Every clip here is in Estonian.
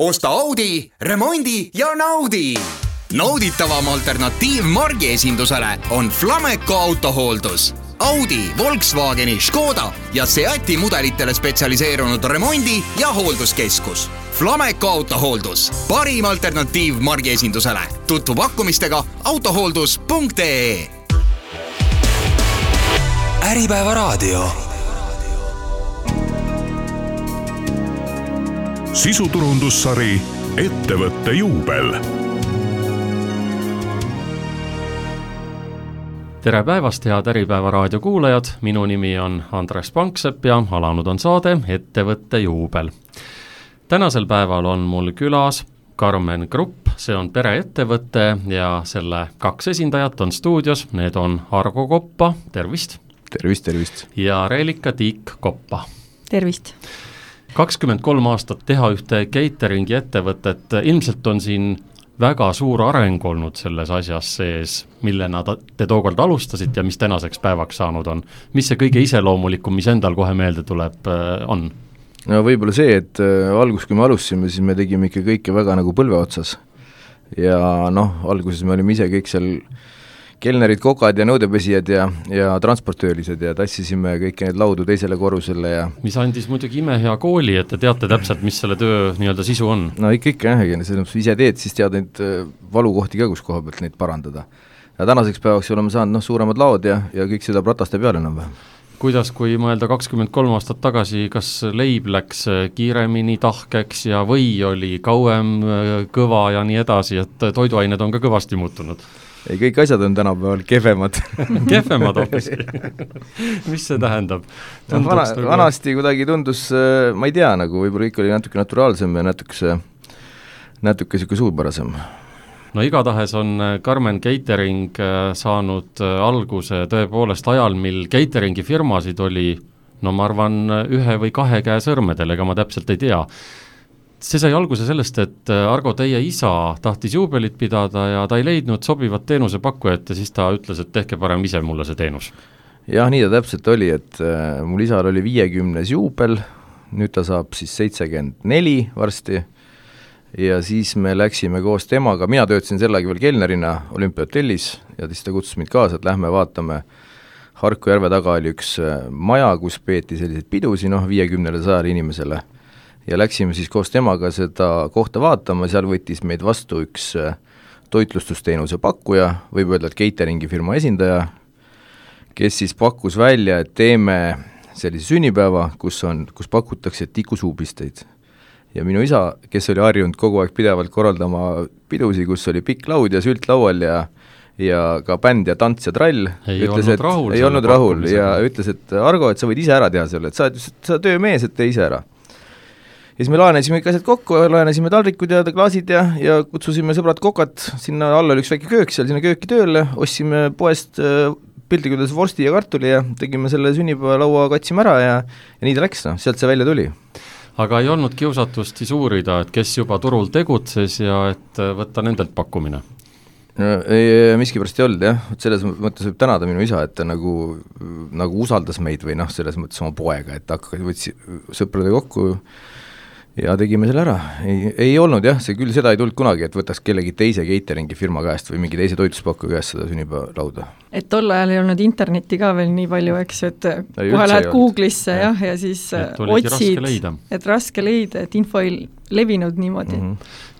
Osta Audi, remondi ja naudi! Nauditavam alternatiiv margiesindusele on Flameco autohooldus. Audi, Volkswageni, Škoda ja Seati mudelitele spetsialiseerunud remondi- ja hoolduskeskus. Flameco autohooldus, parim alternatiiv margiesindusele. Tutvu pakkumistega autohooldus.ee. Äripäeva raadio. Sisuturundussari Ettevõtte juubel. Tere päevast, head Äripäeva raadio kuulajad, minu nimi on Andres Panksepp ja alanud on saade Ettevõtte juubel. Tänasel päeval on mul külas Karmen Grupp, see on pereettevõte ja selle kaks esindajat on stuudios, need on Argo Koppa, tervist! Tervist! Ja Reelika Tiik Koppa. Tervist! 23 aastat teha ühte cateringi ettevõtet, ilmselt on siin väga suur areng olnud selles asjas sees, millena te tookord alustasite ja mis tänaseks päevaks saanud on. Mis see kõige iseloomulikum, mis endal kohe meelde tuleb, on? No võib-olla see, et kui me alustasime, siis me tegime ikka kõike väga nagu põlve otsas. Ja alguses me olime ise kõik seal kelnerid, kokad ja nõudepesijad ja transportöölised ja tassisime kõiki neid laudu teisele korrusele ja mis andis muidugi imehea kooli, et te teate täpselt, mis selle töö nii-öelda sisu on. No ikka ise teed, siis tead neid valukohti ka, kus koha pealt neid parandada. Ja tänaseks päevaks oleme saanud suuremad laod ja kõik seda prataste peale enam-vähem. Kuidas, kui mõelda 23 aastat tagasi, kas leib läks kiiremini tahkeks ja või oli kauem kõva ja nii edasi, et toiduained on ka kõvasti muutunud? Ei, kõik asjad on tänapäeval kehvemad. Kehvemad hoopis. Mis see tähendab? Vanasti kuidagi tundus, ma ei tea, nagu võib-olla ikka oli natuke naturaalsem ja natuke siuke suupärasem. No igatahes on Karmen Catering saanud alguse tõepoolest ajal, mil cateringi firmasid oli, ma arvan, 1 või 2 käe sõrmedel, ega ma täpselt ei tea. See sai alguse sellest, et Argo, teie isa tahtis juubelit pidada ja ta ei leidnud sobivat teenusepakkujat ja siis ta ütles, et tehke parem ise mulle see teenus. Jah, nii ta täpselt oli, et mul isal oli 50. juubel, nüüd ta saab siis 74 varsti ja siis me läksime koos temaga, mina töötasin sellegi veel kelnerina Olümpiahotellis ja siis ta kutsus mind kaasa, et lähme vaatame. Harku järve taga oli üks maja, kus peeti selliseid pidusi 50-100 inimesele. Ja läksime siis koos temaga seda kohta vaatama, seal võttis meid vastu üks toitlustusteenuse pakkuja, võib öelda, et cateringi firma esindaja, kes siis pakkus välja, et teeme sellise sünnipäeva, kus pakutakse tikusuupisteid. Ja minu isa, kes oli harjunud kogu aeg pidevalt korraldama pidusi, kus oli pikk laud ja sült laual ja ka bänd ja tants ja trall, ei olnud rahul ja ütles, et Argo, et sa võid ise ära teha selle, et sa töömees, et tee ise ära. Ja siis me laenesime kõik asjad kokku, laenesime taldrikud ja klaasid ja kutsusime sõbrad kokad, sinna alla oli üks väike köök, seal sinna kööki tööle, ostsime poest piltlikudels vorsti ja kartuli ja tegime selle sünnipäevalaua, katsime ära ja nii ta läks, sealt see välja tuli. Aga ei olnud kiusatust siis uurida, et kes juba turul tegutses ja et võtta nendelt pakkumine? Miskipärast ei olnud, jah. Selles mõttes võib tänada minu isa, et ta nagu usaldas meid või selles mõttes oma poega, et võtsi sõprade kokku ja tegime selle ära. Ei olnud jah, see küll seda ei tulnud kunagi, et võtaks kellegi teise cateringi firma käest või mingi teise toitluspakku käest seda sünnipäevalauda. Et tol ajal ei olnud internetti ka veel nii palju, eks, et kohe lähed Google'isse ja siis otsid, et raske leida, et info ei levinud niimoodi.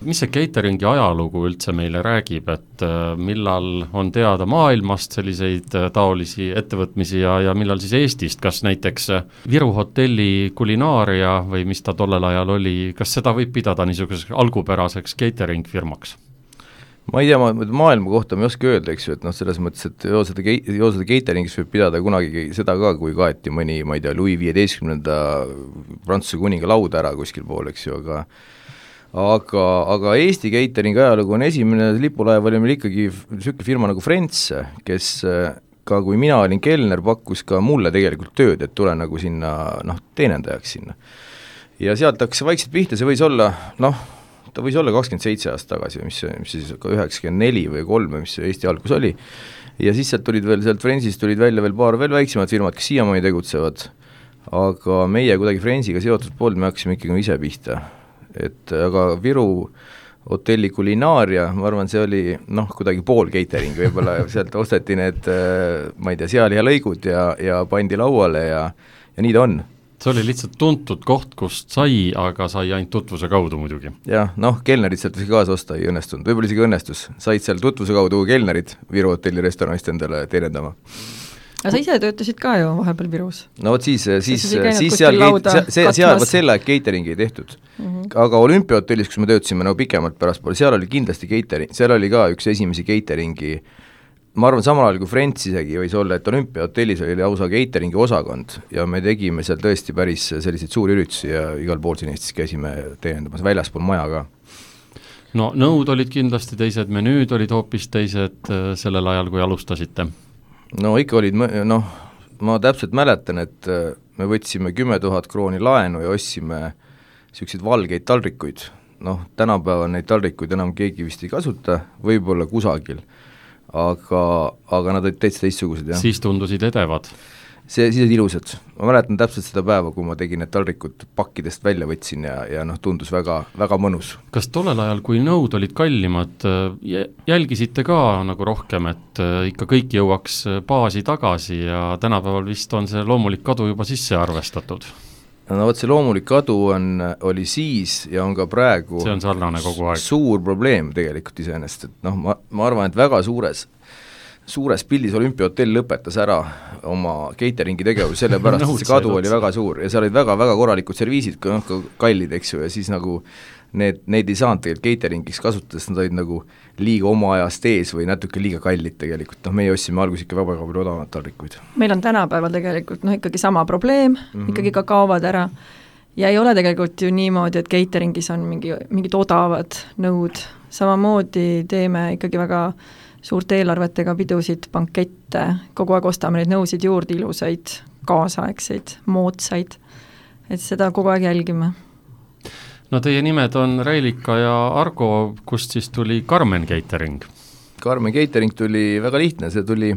Mis see cateringi ajalugu üldse meile räägib, et millal on teada maailmast selliseid taolisi ettevõtmisi ja millal siis Eestist, kas näiteks Viru hotelli kulinaaria või mis ta tollel ajal oli, kas seda võib pidada niisuguseks algupäraseks catering firmaks? Ma ei tea, maailma kohta ma ei oska öelda, eks ju, et selles mõttes, et joosada cateringis võib pidada kunagi seda ka, kui kaeti mõni, ma ei tea, Louis 15. Prantsuse kuninga lauda ära kuskil pool, eks ju, aga Eesti catering ajalugu on esimene lipulaev oli meil ikkagi selline firma nagu Frentse, kes ka kui mina olin kelner, pakkus ka mulle tegelikult tööd, et tule nagu sinna, teenendajaks sinna. Ja sealt hakkas vaikselt pihta, see võis olla, ta võis olla 27 aastat tagasi, mis siis 94 või 3, mis Eesti algus oli. Ja siis sealt Frensist tulid välja veel paar veel väiksemad firmad, kes siiamaani tegutsevad, aga meie kuidagi Frensiga seotud poolt me hakkasime ikkagi ise pihta. et aga Viru hotelli kulinaaria, ma arvan, see oli kuidagi pool catering, võib-olla sealt osteti need, ma ei tea, sealihalõigud ja pandi lauale ja nii ta on. See oli lihtsalt tuntud koht, kust sai, aga sai ainult tutvuse kaudu muidugi. Jah, kelnerid sealt kaasa osta ei õnnestunud, võib-olla isegi õnnestus, said seal tutvuse kaudu kelnerid Viru hotelli restoranist endale teenendama. Aga sa ise töötasid ka ju vahepeal Virus? No vot siis seal selle catering ei tehtud. Aga Olümpiahotellis, kus me töötasime pikemalt pärastpoole, seal oli kindlasti catering, seal oli ka üks esimesi cateringi, ma arvan, samal ajal kui Friends isegi võis olla, et Olümpiahotellis oli lausa cateringi osakond ja me tegime seal tõesti päris selliseid suuri üritusi ja igal pool siin Eestis käisime teenendamas väljaspool maja ka. No nõud olid kindlasti teised, menüüd olid hoopis teised sellel ajal, kui alustasite? No ikka olid, ma täpselt mäletan, et me võtsime 10 000 krooni laenu ja ostsime selliseid valgeid taldrikuid. Tänapäeval neid taldrikuid enam keegi vist ei kasuta, võib-olla kusagil. Aga nad olid täitsa teistsugused, jah. Siis tundusid edevad? Siis olid ilusad. Ma mäletan täpselt seda päeva, kui ma tegin need taldrikud pakkidest välja võtsin ja tundus väga, väga mõnus. Kas tollel ajal, kui nõud olid kallimad, jälgisite ka nagu rohkem, et ikka kõik jõuaks baasi tagasi ja tänapäeval vist on see loomulik kadu juba sisse arvestatud? No vot, see loomulik kadu oli siis ja on ka praegu see on sarnane kogu aeg. Suur probleem tegelikult iseenesest, et ma arvan, et väga suures pildis Olümpiahotell lõpetas ära oma cateringi tegevus, sellepärast et see kadu oli väga suur ja seal olid väga-väga korralikud serviisid, kallid, eks ju, ja siis nagu neid ei saanud tegelikult cateringiks kasutades, nad olid nagu liiga oma ajast ees või natuke liiga kallid tegelikult, meie ostsime alguses ikka väga palju odavamat taldrikuid. Meil on tänapäeval tegelikult ikkagi sama probleem, ikkagi ka kaovad ära ja ei ole tegelikult ju niimoodi, et cateringis on mingid odavad nõud, samamoodi teeme ikkagi väga suurte eelarvetega pidusid, bankette, kogu aeg ostame neid nõusid juurde, ilusaid, kaasaegseid, moodsaid, et seda kogu aeg jälgime. No teie nimed on Reilika ja Argo, kust siis tuli Karmen Catering? Karmen Catering tuli väga lihtne, see tuli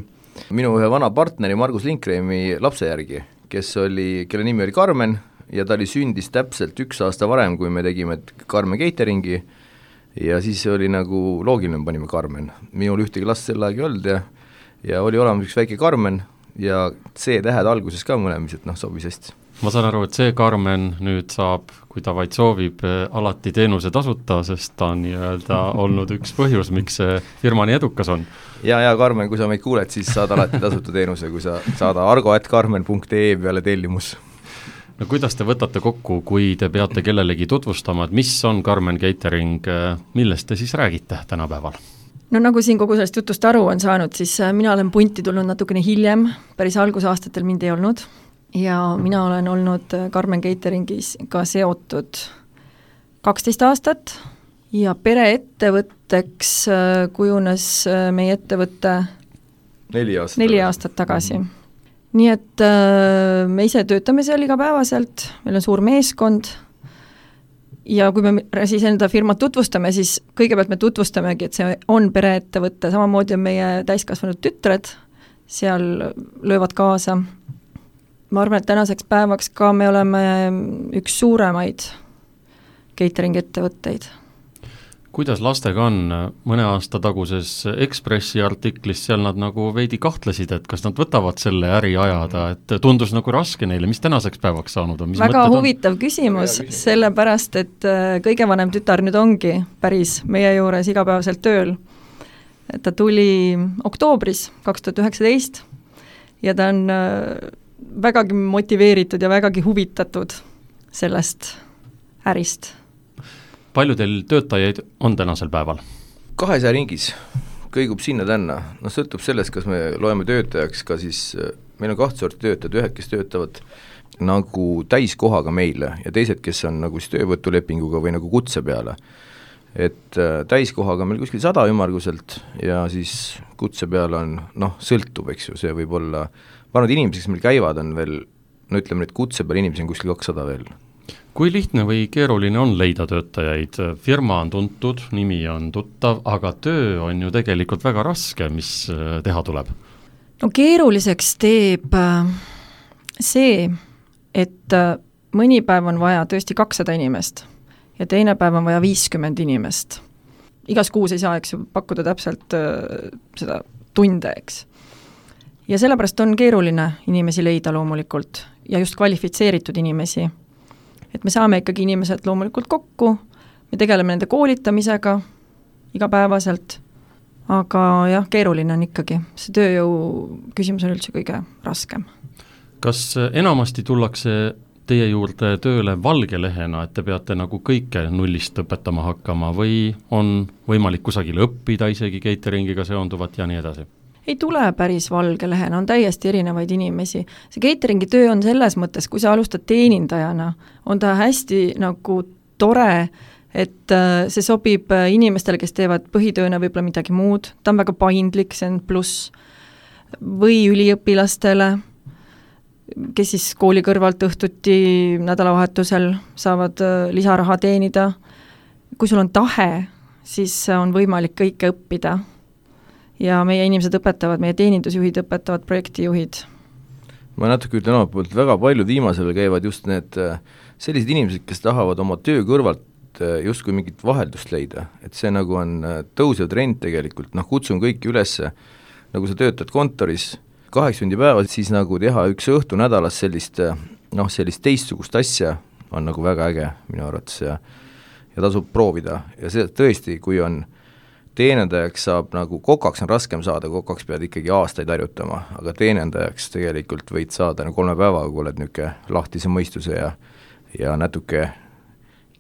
minu ühe vana partneri Margus Linkreimi lapse järgi, kelle nimi oli Karmen ja ta sündis täpselt 1 aasta varem, kui me tegime Karmen Cateringi ja siis oli nagu loogiline, panime Karmen. Minul ühtegi last sel aeg ei olnud ja oli olemas üks väike Karmen ja C-tähed alguses ka mõlemis, et sobis hästi. Ma saan aru, et see Karmen nüüd saab, kui ta vaid soovib, alati teenuse tasuta, sest ta on olnud üks põhjus, miks see firma nii edukas on. Ja Karmen, kui sa meid kuuled, siis saad alati tasuta teenuse, kui sa saada argo@karmen.ee peale tellimus. No kuidas te võtate kokku, kui te peate kellelegi tutvustama, et mis on Karmen Catering, millest te siis räägite tänapäeval? No nagu siin kogu sellest jutust aru on saanud, siis mina olen punti tulnud natukene hiljem, päris algusaastatel mind ei olnud ja mina olen olnud Karmen Cateringis ka seotud 12 aastat ja pereettevõtteks kujunes meie ettevõtte 4 aastat tagasi. Nii et me ise töötame seal igapäevaselt, meil on suur meeskond ja kui me siis enda firmat tutvustame, siis kõigepealt me tutvustamegi, et see on pereettevõtte, samamoodi on meie täiskasvanud tütred, seal löövad kaasa. Ma arvan, et tänaseks päevaks ka me oleme üks suuremaid catering ettevõtteid. Kuidas lastega on? Mõne aasta taguses Ekspressi artiklis seal nad nagu veidi kahtlesid, et kas nad võtavad selle äri ajada, et tundus nagu raske neile, mis tänaseks päevaks saanud on? Väga huvitav küsimus, sellepärast, et kõige vanem tütar nüüd ongi päris meie juures igapäevaselt tööl. Ta tuli oktoobris 2019 ja ta on vägagi motiveeritud ja vägagi huvitatud sellest ärist. Palju teil töötajaid on tänasel päeval? 200 ringis, kõigub sinna-tänna. Sõltub sellest, kas me loeme töötajaks ka siis, meil on 2 sorti töötajad, ühed, kes töötavad nagu täiskohaga meile ja teised, kes on nagu siis töövõtulepinguga või nagu kutse peale. Et täiskohaga meil kuskil 100 ümmarguselt ja siis kutse peale on, sõltub, eks ju, see võib olla, ma arvan, et inimesed, kes meil käivad, on veel, ütleme, et kutse peal inimesi on kuskil 200 veel. Kui lihtne või keeruline on leida töötajaid? Firma on tuntud, nimi on tuttav, aga töö on ju tegelikult väga raske, mis teha tuleb? No keeruliseks teeb see, et mõni päev on vaja tõesti 200 inimest ja teine päev on vaja 50 inimest. Igas kuus ei saa, eks ju, pakkuda täpselt seda tunde, eks. Ja sellepärast on keeruline inimesi leida loomulikult ja just kvalifitseeritud inimesi. Et me saame ikkagi inimesed loomulikult kokku, me tegeleme nende koolitamisega igapäevaselt, aga jah, keeruline on ikkagi. See tööjõu küsimus on üldse kõige raskem. Kas enamasti tullakse teie juurde tööle valge lehena, et te peate nagu kõike nullist õpetama hakkama või on võimalik kusagil õppida isegi cateringiga seonduvat ja nii edasi? Ei tule päris valge lehena, on täiesti erinevaid inimesi. See cateringi töö on selles mõttes, kui sa alustad teenindajana, on ta hästi nagu tore, et see sobib inimestele, kes teevad põhitööna võib-olla midagi muud, ta on väga paindlik, see on pluss, või üliõpilastele, kes siis kooli kõrvalt õhtuti nädalavahetusel saavad lisaraha teenida. Kui sul on tahe, siis on võimalik kõike õppida. Ja meie inimesed õpetavad, meie teenindusjuhid õpetavad, projektijuhid. Ma natuke ütlen omalt poolt, väga paljud viimasel käivad just need sellised inimesed, kes tahavad oma töö kõrvalt justkui mingit vaheldust leida, et see nagu on tõusev trend tegelikult, kutsun kõiki ülesse, nagu sa töötad kontoris 8 tundi päevas, siis nagu teha üks õhtu nädalas sellist teistsugust asja on nagu väga äge minu arvates ja tasub proovida ja see tõesti, kui on teenendajaks saab nagu kokaks on raskem saada, kokaks pead ikkagi aastaid harjutama, aga teenendajaks tegelikult võid saada 3 päevaga, kui oled niisugune lahtise mõistuse ja natuke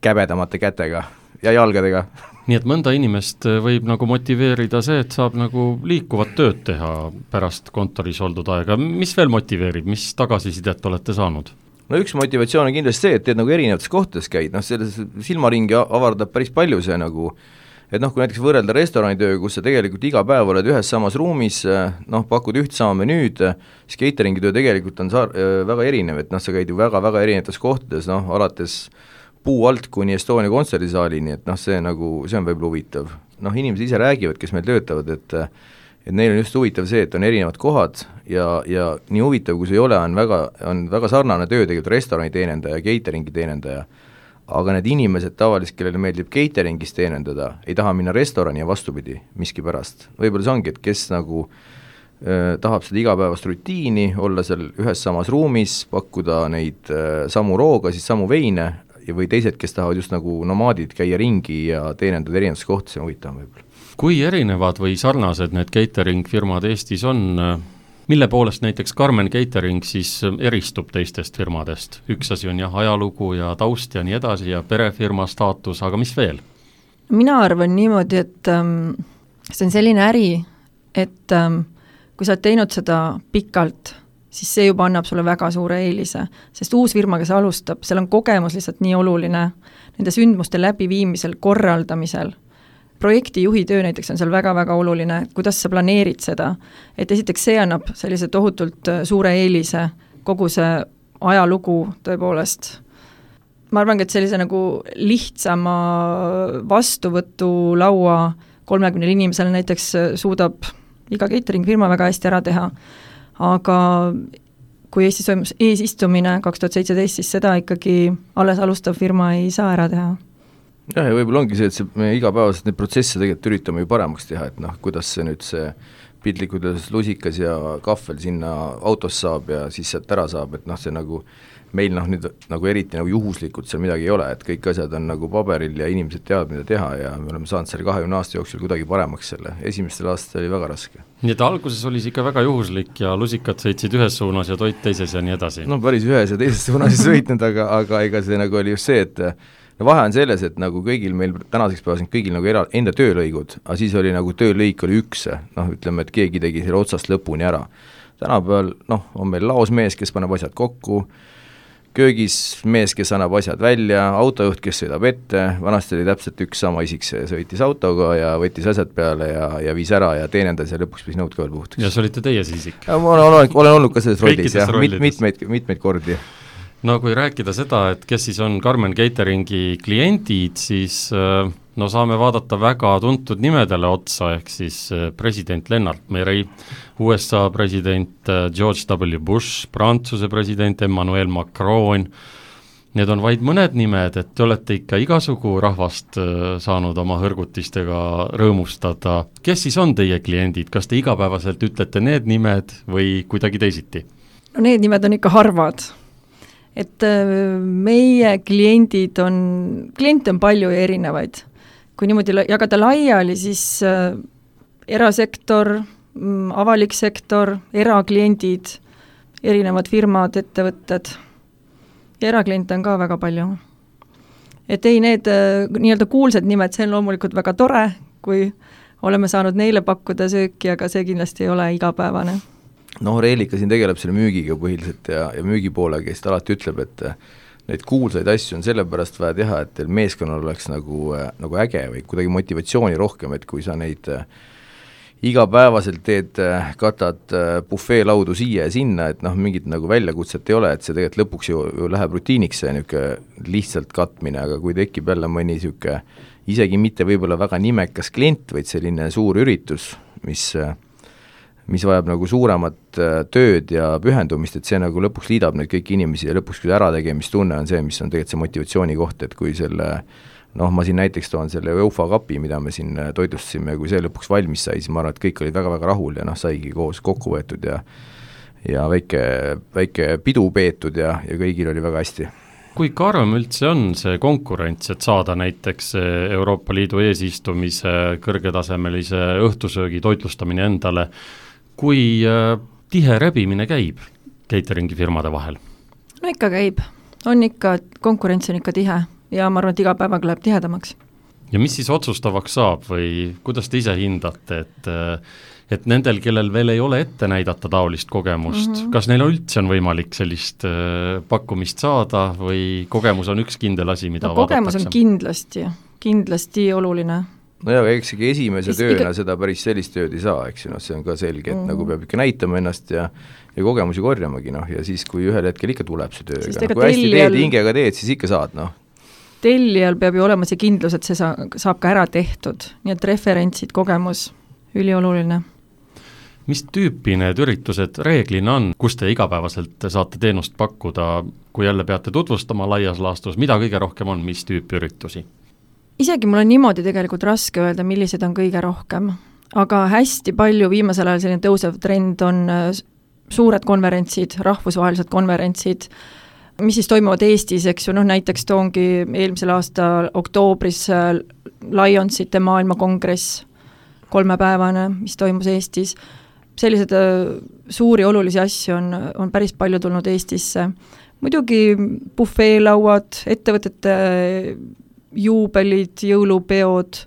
käbedamate kätega ja jalgadega. Nii et mõnda inimest võib nagu motiveerida see, et saab nagu liikuvat tööd teha pärast kontoris oldud aega. Mis veel motiveerib, mis tagasisidet olete saanud? No üks motivatsioon on kindlasti see, et teed nagu erinevates kohtades käid, selles silmaringi avardab päris palju see nagu, et kui näiteks võrrelda restoranitöö, kus sa tegelikult iga päev oled ühes samas ruumis, pakud üht sama menüüd, siis cateringi töö tegelikult on väga erinev, et sa käid ju väga-väga erinevates kohtades, alates puu alt kuni Estonia kontserdisaalini, et see on võib-olla huvitav. Inimesed ise räägivad, kes meil töötavad, et neil on just huvitav see, et on erinevad kohad ja nii huvitav, kui see ei ole, on väga sarnane töö tegelikult restorani teenendaja, cateringi teenendaja, aga need inimesed tavaliselt, kellele meeldib cateringis teenendada, ei taha minna restorani ja vastupidi miski pärast. Võib-olla see ongi, et kes tahab seda igapäevast rutiini, olla seal ühes samas ruumis, pakkuda neid samu rooga, siis samu veine, või teised, kes tahavad just nagu nomaadid käia ringi ja teenendada erinevates kohtades, see on huvitav võib-olla. Kui erinevad või sarnased need catering firmad Eestis on, mille poolest näiteks Carmen Catering siis eristub teistest firmadest? Üks asi on ajalugu ja taust ja nii edasi ja perefirma staatus, aga mis veel? Mina arvan niimoodi, et see on selline äri, et kui sa oled teinud seda pikalt, siis see juba annab sulle väga suure eelise, sest uus firma, kes alustab, seal on kogemus lihtsalt nii oluline nende sündmuste läbiviimisel, korraldamisel. Projektijuhi töö näiteks on seal väga-väga oluline, kuidas sa planeerid seda, et esiteks see annab sellise tohutult suure eelise, kogu see ajalugu tõepoolest. Ma arvan, et sellise nagu lihtsama vastuvõtu laua 30 inimesele näiteks suudab iga catering firma väga hästi ära teha. Aga kui Eestis toimus eesistumine 2017, siis seda ikkagi alles alustav firma ei saa ära teha. Ja võib-olla ongi see, et me igapäevaselt neid protsesse tegelikult üritame ju paremaks teha, et kuidas see nüüd see piltlikud lusikas ja kahvel sinna autos saab ja siis sealt ära saab, et see nagu meil nüüd nagu eriti nagu juhuslikult seal midagi ei ole, et kõik asjad on nagu paberil ja inimesed teavad, mida teha ja me oleme saanud selle 20 aasta jooksul kuidagi paremaks selle. Esimestel aastatel oli väga raske. Nii et alguses oli ikka väga juhuslik ja lusikad sõitsid ühes suunas ja toit teises ja nii edasi. No päris ühes ja teises suunas ei sõitnud, aga ega see nagu oli just see, et vahe on selles, et nagu kõigil meil tänaseks päevas kõigil nagu enda töölõigud, aga siis oli nagu töölõik oli üks, ütleme, et keegi tegi selle otsast lõpuni ära. Tänapäeval on meil laosmees, kes paneb asjad kokku, köögis mees, kes annab asjad välja, autojuht, kes sõidab ette, vanasti oli täpselt üks sama isik, see sõitis autoga ja võttis asjad peale ja viis ära ja teenendas ja lõpuks pidi nõud ka veel puhtaks. Ja see olite teie see isik? Ma olen olnud ka selles rollis ja mitmeid kordi. No kui rääkida seda, et kes siis on Carmen Cateringi kliendid, siis saame vaadata väga tuntud nimedele otsa, ehk siis president Lennart Meri, USA president George W. Bush, Prantsuse president Emmanuel Macron, Need on vaid mõned nimed, et te olete ikka igasugu rahvast saanud oma hõrgutistega rõõmustada. Kes siis on teie kliendid? Kas te igapäevaselt ütlete need nimed või kuidagi teisiti? No need nimed on ikka harvad. Et meie kliente on palju ja erinevaid. Kui niimoodi jagada laiali, siis erasektor, avalik sektor, erakliendid, erinevad firmad, ettevõtted. Ja erakliente on ka väga palju. Et ei, need nii-öelda kuulsad nimed, see on loomulikult väga tore, kui oleme saanud neile pakkuda sööki, aga see kindlasti ei ole igapäevane. Reelika siin tegeleb selle müügiga põhiliselt ja müügipoole, kes alati ütleb, et neid kuulsaid asju on sellepärast vaja teha, et teil meeskonnal oleks nagu äge või kuidagi motivatsiooni rohkem, et kui sa neid igapäevaselt teed, katad bufeelaudu siia ja sinna, et mingit nagu väljakutset ei ole, et see tegelikult lõpuks ju läheb rutiiniks see niisugune lihtsalt katmine, aga kui tekib jälle mõni niisugune isegi mitte võib-olla väga nimekas klient, vaid selline suur üritus, mis vajab nagu suuremat tööd ja pühendumist, et see nagu lõpuks liidab neid kõiki inimesi ja lõpuks kui ärategemistunne on see, mis on tegelikult see motivatsiooni koht, et kui selle ma siin näiteks toon selle Eufa kapi, mida me siin toitlustasime ja kui see lõpuks valmis sai, siis ma arvan, et kõik olid väga-väga rahul ja saigi koos kokku võetud ja väike pidu peetud ja kõigil oli väga hästi. Kui karm üldse on see konkurents, et saada näiteks Euroopa Liidu eesistumise kõrgetasemelise õhtusöögi toitlustamine endale, kui tihe rebimine käib cateringi firmade vahel? No ikka käib, konkurents on ikka tihe. Ja ma arvan, et iga päevaga läheb tihedamaks. Ja mis siis otsustavaks saab või kuidas te ise hindate, et nendel, kellel veel ei ole ette näidata taolist kogemust, kas neil üldse on võimalik sellist pakkumist saada või kogemus on üks kindel asi, mida kogemus vaadatakse? On kindlasti oluline. Ja eksegi esimese tööna seda päris sellist tööd ei saa, eks see on ka selge, et nagu peab ikka näitama ennast ja kogemusi korjamagi, ja siis kui ühel hetkel ikka tuleb see töö, kui hästi teed, hingega teed, siis ikka saad, Tellijal peab ju olema see kindlus, et see saab ka ära tehtud, nii et referentsid, kogemus, ülioluline. Mis tüüpi need üritused reeglina on, kus te igapäevaselt saate teenust pakkuda, kui jälle peate tutvustama laias laastus, mida kõige rohkem on, mis tüüpi üritusi? Isegi mul on niimoodi tegelikult raske öelda, millised on kõige rohkem, aga hästi palju viimasel ajal selline tõusev trend on suured konverentsid, rahvusvahelised konverentsid, mis siis toimuvad Eestis, eks ju, näiteks toongi eelmisel aasta oktoobris Lionsite maailmakongress, 3-päevane, mis toimus Eestis. Sellised suuri olulisi asju on päris palju tulnud Eestisse. Muidugi bufeelauad, ettevõtete juubelid, jõulupeod,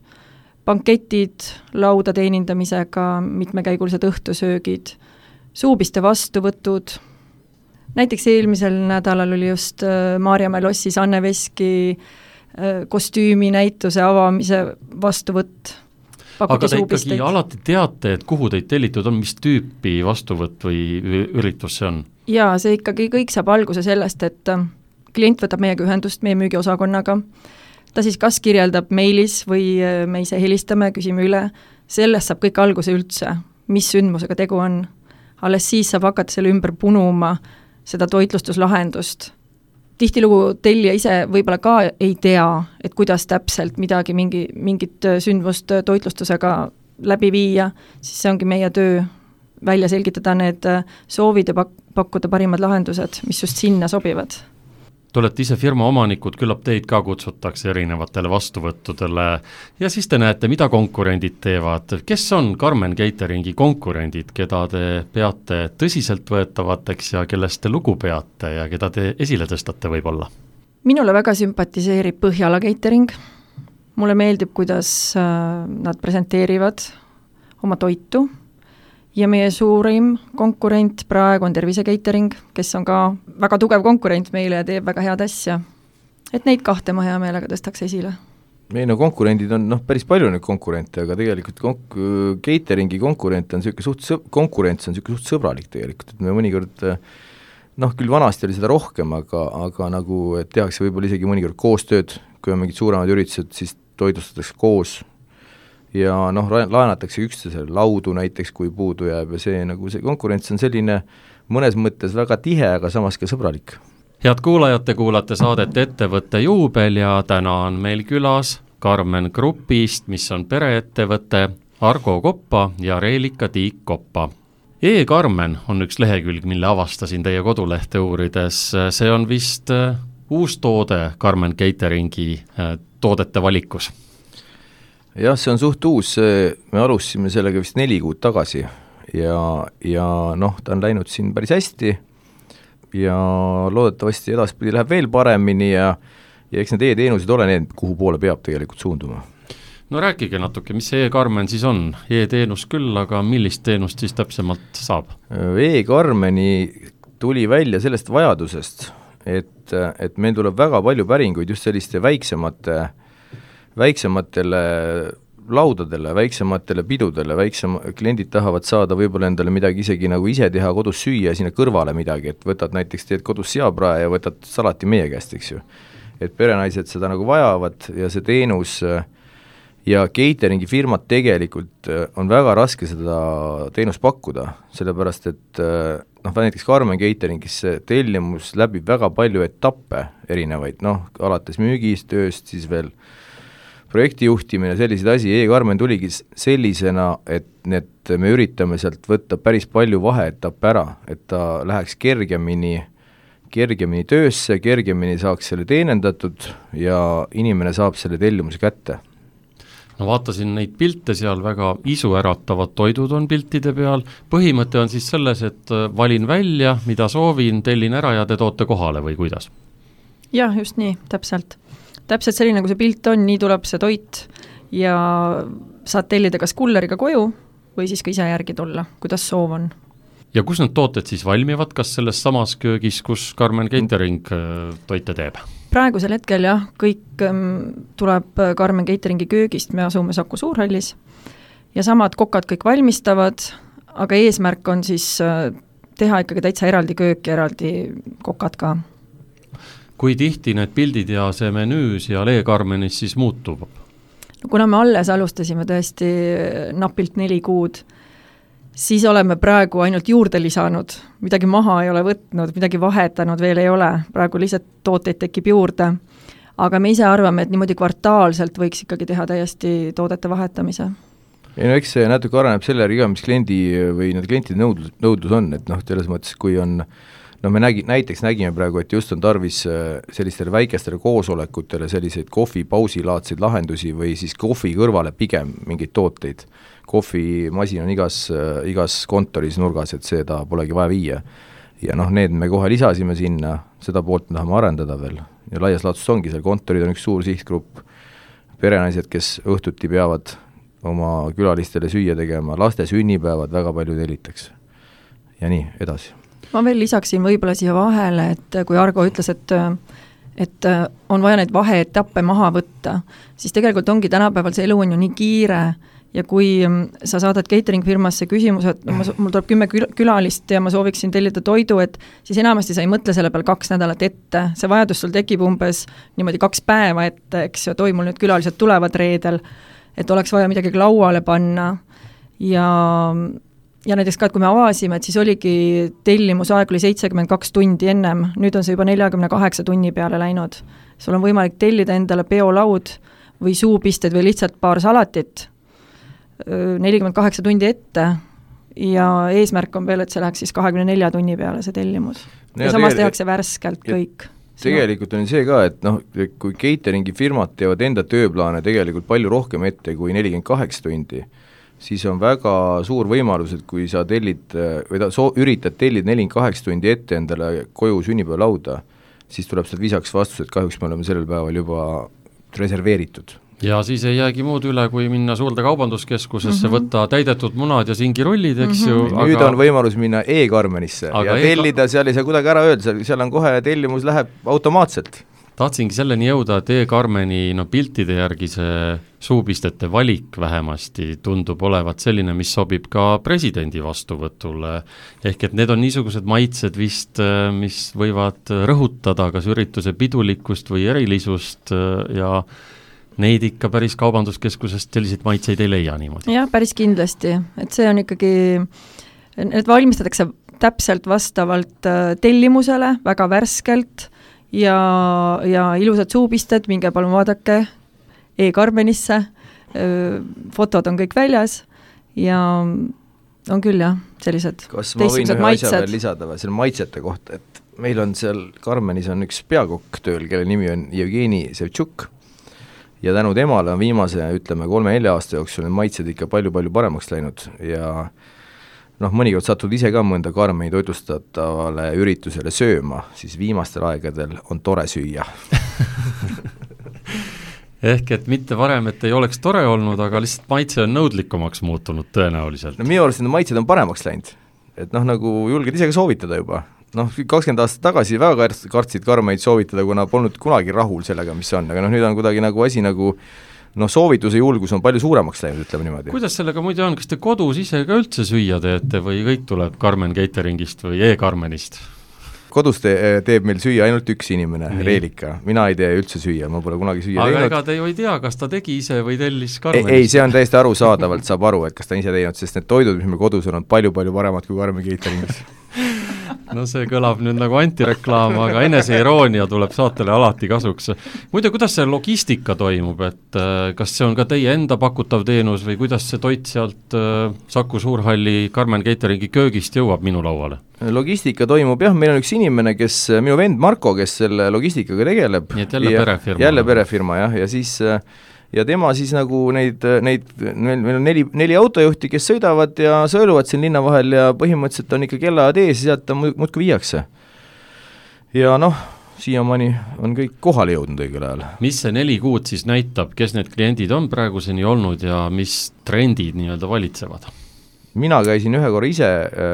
banketid, lauda teenindamisega, mitmekäigulised õhtusöögid, suupiste vastuvõtud. Näiteks eelmisel nädalal oli just Maarjamäe lossis Anne Veski kostüümi näituse avamise vastuvõtt. Aga te ikkagi alati teate, et kuhu teid tellitud on, mis tüüpi vastuvõtt või üritus see on? Jaa, see ikkagi kõik saab alguse sellest, et klient võtab meiega ühendust, meie müügiosakonnaga, ta siis kas kirjeldab meilis või me ise helistame, küsime üle, sellest saab kõik alguse üldse, mis sündmusega tegu on. Alles siis saab hakata selle ümber punuma seda toitlustuslahendust. Tihtilugu tellija ise võib-olla ka ei tea, et kuidas täpselt mingit sündmust toitlustusega läbi viia, siis see ongi meie töö välja selgitada need soovid ja pakkuda parimad lahendused, mis just sinna sobivad. Te olete ise firma omanikud, küllap teid ka kutsutakse erinevatele vastuvõttudele ja siis te näete, mida konkurendid teevad. Kes on Karmen Cateringi konkurendid, keda te peate tõsiseltvõetavateks ja kellest te lugu peate ja keda te esile tõstate võib-olla? Minule väga sümpatiseerib Põhjala Catering. Mulle meeldib, kuidas nad presenteerivad oma toitu. Ja meie suurim konkurent praegu on Tervise Catering, kes on ka väga tugev konkurent meile ja teeb väga head asja. Et neid kahte ma hea meelega tõstaks esile. Meil konkurendid on päris palju neid konkurente, aga tegelikult cateringi konkurents on suht sõbralik tegelikult, et me mõnikord, küll vanasti oli seda rohkem, aga nagu tehakse võib-olla isegi mõnikord koostööd, kui on mingid suuremad üritused, siis toitlustatakse koos ja laenatakse üksteisele laudu näiteks, kui puudu jääb ja see konkurents on selline mõnes mõttes väga tihe, aga samas ka sõbralik. head kuulajad, te kuulate saadet Ettevõtte juubel ja täna on meil külas Karmen Grupist, mis on pereettevõte, Argo Koppa ja Reelika Tiik Koppa. E-Karmen on üks lehekülg, mille avastasin teie kodulehte uurides. See on vist uus toode Karmen Cateringi toodete valikus. Jah, see on suht uus, me alustasime sellega vist 4 kuud tagasi ja noh, ta on läinud siin päris hästi ja loodetavasti edaspidi läheb veel paremini ja eks need e-teenused ole need, kuhu poole peab tegelikult suunduma. No rääkige natuke, mis see E-Karmen siis on? E-teenus küll, aga millist teenust siis täpsemalt saab? E-Karmeni tuli välja sellest vajadusest, et meil tuleb väga palju päringuid just selliste väiksematele laudadele, väiksematele pidudele, kliendid tahavad saada võib-olla endale midagi isegi nagu ise teha, kodus süüa ja sinna kõrvale midagi, et võtad näiteks, teed kodus seaprae ja võtad salati meie käest, eks ju. Et perenaised seda nagu vajavad ja see teenus ja cateringi firmad tegelikult on väga raske seda teenust pakkuda, sellepärast et näiteks Karmen Cateringis see tellimus läbib väga palju etappe erinevaid, alates müügist, tööst, siis veel projekti juhtimine, selliseid asi, E-Karmen tuligi sellisena, et me üritame sealt võtta päris palju vaheetappe ära, et ta läheks kergemini töösse, kergemini saaks selle teenendatud ja inimene saab selle tellimuse kätte. No vaatasin neid pilte seal, väga isuäratavad toidud on piltide peal, põhimõte on siis selles, et valin välja, mida soovin, tellin ära ja te toote kohale või kuidas? Jah, just nii, täpselt selline, nagu see pilt on, nii tuleb see toit ja saad tellida kas kulleriga koju või siis ka ise järgi tulla, kuidas soov on. Ja kus need tooted siis valmivad, kas selles samas köögis, kus Karmen Catering toite teeb? Praegusel hetkel jah, kõik tuleb Karmen Cateringi köögist, me asume Saku Suurhallis ja samad kokad kõik valmistavad, aga eesmärk on siis teha ikkagi täitsa eraldi köök ja eraldi kokad ka. Kui tihti need pildid ja see menüüs ja E-Karmenis siis muutub? Kuna me alles alustasime tõesti napilt 4 kuud, siis oleme praegu ainult juurde lisanud, midagi maha ei ole võtnud, midagi vahetanud veel ei ole, praegu lihtsalt tooteid tekib juurde, aga me ise arvame, et niimoodi kvartaalselt võiks ikkagi teha täiesti toodete vahetamise. Ja eks see natuke areneb selle järgi, mis kliendi või need klientide nõudlus on, et selles mõttes, kui on me näiteks nägime praegu, et just on tarvis sellistele väikestele koosolekutele selliseid kohvipausilaadseid lahendusi või siis kohvi kõrvale pigem mingeid tooteid. Kohvimasin on igas kontoris nurgas, et seda polegi vaja viia. Ja need me kohe lisasime sinna, seda poolt me tahame arendada veel. Ja laias laadsus ongi, seal kontorid on üks suur sihtgrupp, perenaised, kes õhtuti peavad oma külalistele süüa tegema, laste sünnipäevad väga palju tellitakse. Ja nii, edasi. Ma veel lisaksin võib-olla siia vahele, et kui Argo ütles, et on vaja neid vaheetappe maha võtta, siis tegelikult ongi tänapäeval see elu on ju nii kiire ja kui sa saadad catering firmasse küsimuse, et mul tuleb 10 külalist ja ma sooviksin tellida toidu, et siis enamasti sa ei mõtle selle peal 2 nädalat ette, see vajadus sul tekib umbes niimoodi 2 päeva ette, eks ju, mul nüüd külalised tulevad reedel, et oleks vaja midagi lauale panna ja näiteks ka, et kui me avasime, et siis oligi tellimusaeg oli 72 tundi ennem, nüüd on see juba 48 tunni peale läinud. Sul on võimalik tellida endale peolaud või suupisted või lihtsalt paar salatit 48 tundi ette ja eesmärk on veel, et see läheks siis 24 tunni peale see tellimus. Ja samas tehakse värskelt kõik. Tegelikult on see ka, et kui cateringi firmad teevad enda tööplaane tegelikult palju rohkem ette kui 48 tundi, siis on väga suur võimalus, et kui sa tellid või üritad tellida 48 tundi ette endale koju sünnipäevalauda, siis tuleb sealt visaks vastus, et kahjuks me oleme sellel päeval juba reserveeritud. Ja siis ei jäägi muud üle, kui minna suurde kaubanduskeskusesse, võtta täidetud munad ja singirullid, eks ju. Nüüd on võimalus minna E-Karmenisse ja tellida, seal ei saa kuidagi ära öelda, seal on kohe tellimus läheb automaatselt. Tahtsingi selleni jõuda, et E-Karmeni piltide järgi see suupistete valik vähemasti tundub olevat selline, mis sobib ka presidendi vastuvõtule. Ehk et need on niisugused maitsed vist, mis võivad rõhutada kas ürituse pidulikkust või erilisust ja neid ikka päris kaubanduskeskusest selliseid maitseid ei leia niimoodi. Jah, päris kindlasti, et see on ikkagi, need valmistatakse täpselt vastavalt tellimusele, väga värskelt ja ilusad suupisted, minge palun vaadake e-Karmenisse, fotod on kõik väljas ja on küll jah, sellised kas ma võin ühe asja veel lisada või selle maitsete kohta, et meil on seal Karmenis on üks peakokk tööl, kelle nimi on Jevgeni Sevtšuk ja tänu temale on viimase, ütleme 3-4 aasta jooksul need maitsed ikka palju-palju paremaks läinud ja mõnikord satud ise ka mõnda Karmeni toitlustatavale üritusele sööma, siis viimastel aegadel on tore süüa. Ehk et mitte varem, et ei oleks tore olnud, aga lihtsalt maitse on nõudlikumaks muutunud tõenäoliselt. Minu arust need maitsed on paremaks läinud, et nagu julged ise ka soovitada juba. 20 aastat tagasi väga kartsid Karmeid soovitada, kuna polnud kunagi rahul sellega, mis on, aga nüüd on kuidagi nagu asi nagu soovituse julgus on palju suuremaks läinud, ütleme niimoodi. Kuidas sellega muide on, kas te kodus ise ka üldse süüa teete või kõik tuleb Karmen Cateringist või e-Karmenist? Kodus teeb meil süüa ainult üks inimene, Reelika. Mina ei tee üldse süüa, ma pole kunagi süüa teinud. Aga ega te ju ei tea, kas ta tegi ise või tellis Karmenist? Ei, see on täiesti arusaadavalt, saab aru, et kas ta ise teinud, sest need toidud, mis meil kodus on palju-palju paremad kui Karmen Cateringis. No see kõlab nüüd nagu antireklaam, aga eneseiiroonia tuleb saatele alati kasuks. Muide, kuidas see logistika toimub, et kas see on ka teie enda pakutav teenus või kuidas see toit sealt Saku Suurhalli Karmen Cateringi köögist jõuab minu lauale? Logistika toimub jah, meil on üks inimene, minu vend Marko, kes selle logistikaga tegeleb. Nii et jälle perefirma. Jälle perefirma jah, ja siis ja tema siis nagu meil on 4 autojuhti, kes sõidavad ja sõeluvad siin linna vahel ja põhimõtteliselt on ikka kellaajad ees ja sealt ta muudkui viiakse. Ja siiamaani on kõik kohale jõudnud õigel ajal. Mis see 4 kuud siis näitab, kes need kliendid on praeguseni olnud ja mis trendid nii-öelda valitsevad? Mina käisin ühe korra ise,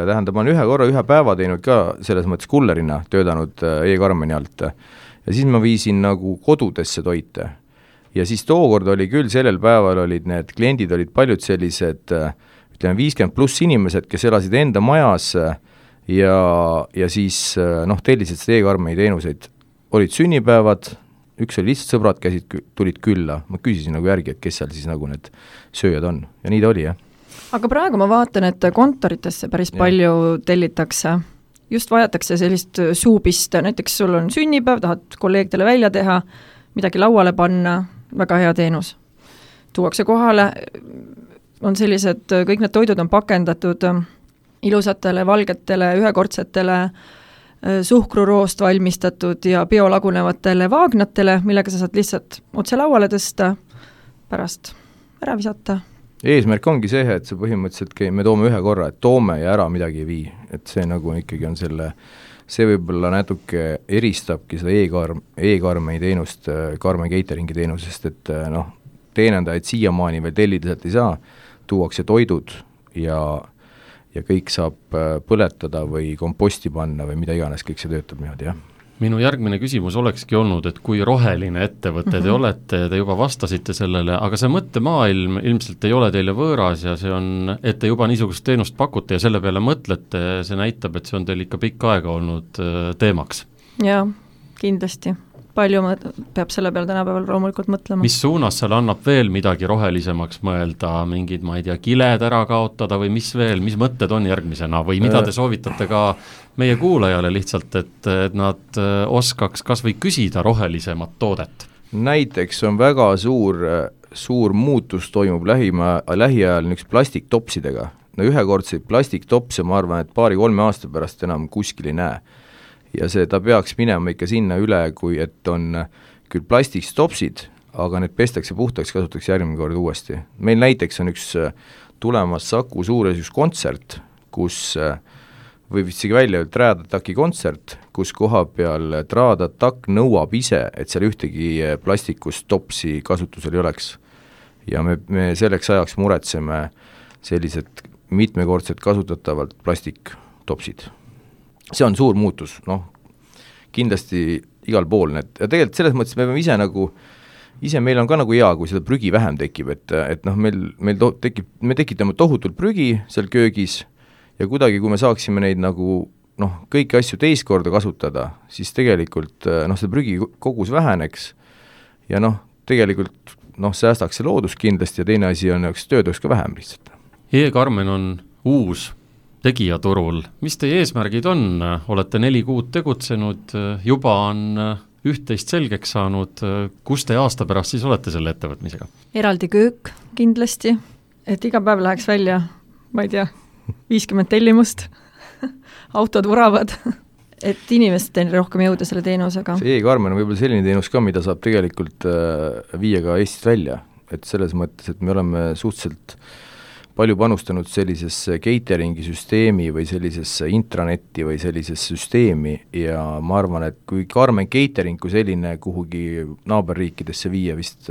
ma olen ühe päeva teinud ka selles mõttes kullerina töötanud e-Karmeni alt ja siis ma viisin nagu kodudesse toite. Ja siis tookord oli küll, sellel päeval olid need kliendid olid paljud sellised, ütleme 50+ inimesed, kes elasid enda majas ja siis tellisid seda e-Karmeni teenuseid. Olid sünnipäevad, üks oli lihtsalt sõbrad tulid külla, ma küsisin nagu järgi, et kes seal siis nagu need sööjad on ja nii ta oli jah. Aga praegu ma vaatan, et kontoritesse päris palju tellitakse. Just vajatakse sellist suupist, näiteks sul on sünnipäev, tahad kolleegidele välja teha, midagi lauale panna, väga hea teenus. Tuuakse kohale, on sellised, kõik need toidud on pakendatud ilusatele, valgetele, ühekordsetele, suhkruroost valmistatud ja biolagunevatele vaagnatele, millega sa saad lihtsalt otse lauale tõsta, pärast ära visata. Eesmärk ongi see, et see põhimõtteliselt me toome ühe korra, et toome ja ära midagi ei vii, et see nagu ikkagi on see võib-olla natuke eristabki seda e-Karmeni teenust Karmen Cateringi teenusest, et teenendajaid siiamaani veel tellida sealt ei saa, tuuakse toidud ja kõik saab põletada või komposti panna või mida iganes, kõik see töötab niimoodi, jah. Minu järgmine küsimus olekski olnud, et kui roheline ettevõte te olete, te juba vastasite sellele, aga see mõttemaailm ilmselt ei ole teile võõras ja see on, et te juba niisugust teenust pakute ja selle peale mõtlete, see näitab, et see on teil ikka pikka aega olnud teemaks. Jaa, kindlasti. Palju peab selle peale tänapäeval loomulikult mõtlema. Mis suunas seal annab veel midagi rohelisemaks mõelda, mingid, ma ei tea, kiled ära kaotada või mis veel, mis mõtted on järgmisena või mida te soovitate ka meie kuulajale lihtsalt, et nad oskaks kas või küsida rohelisemat toodet? Näiteks on väga suur muutus toimub lähiajal üks plastiktopsidega. Ühekordseid plastiktopse ma arvan, et 2-3 aasta pärast enam kuskil ei näe. Ja ta peaks minema ikka sinna üle, kui et on küll plastikstopsid, aga need pestakse puhtaks, kasutatakse järgmine kord uuesti. Meil näiteks on üks tulemas Saku Suures üks kontsert, kus võib isegi välja Tradattaki kontsert, kus koha peal Tradattack nõuab ise, et seal ühtegi plastikust topsi kasutusel ei oleks. Ja me selleks ajaks muretseme sellised mitmekordselt kasutatavalt plastiktopsid. See on suur muutus, kindlasti igal pool need, ja tegelikult selles mõttes me peame ise meil on ka nagu hea, kui seda prügi vähem tekib, et me tekitame tohutult prügi seal köögis ja kuidagi, kui me saaksime neid nagu kõiki asju teist korda kasutada, siis tegelikult see prügi kogus väheneks ja tegelikult säästaks see loodus kindlasti ja teine asi on, tööd oleks ka vähem lihtsalt. E-Karmen on uus tegijaturul. Mis teie eesmärgid on? Olete 4 kuud tegutsenud, juba on üht-teist selgeks saanud, kus te aasta pärast siis olete selle ettevõtmisega? Eraldi köök kindlasti, et iga päev läheks välja, ma ei tea, 50 tellimust, autod vuravad, et inimesteni rohkem jõuda selle teenusega. See e-Karmen on võib-olla selline teenus ka, mida saab tegelikult viia ka Eestist välja, et selles mõttes, et me oleme suhteliselt palju panustanud sellisesse cateringi süsteemi või sellisesse intranetti või sellisesse süsteemi ja ma arvan, et kui Karmen Catering kui selline kuhugi naaberriikidesse viia vist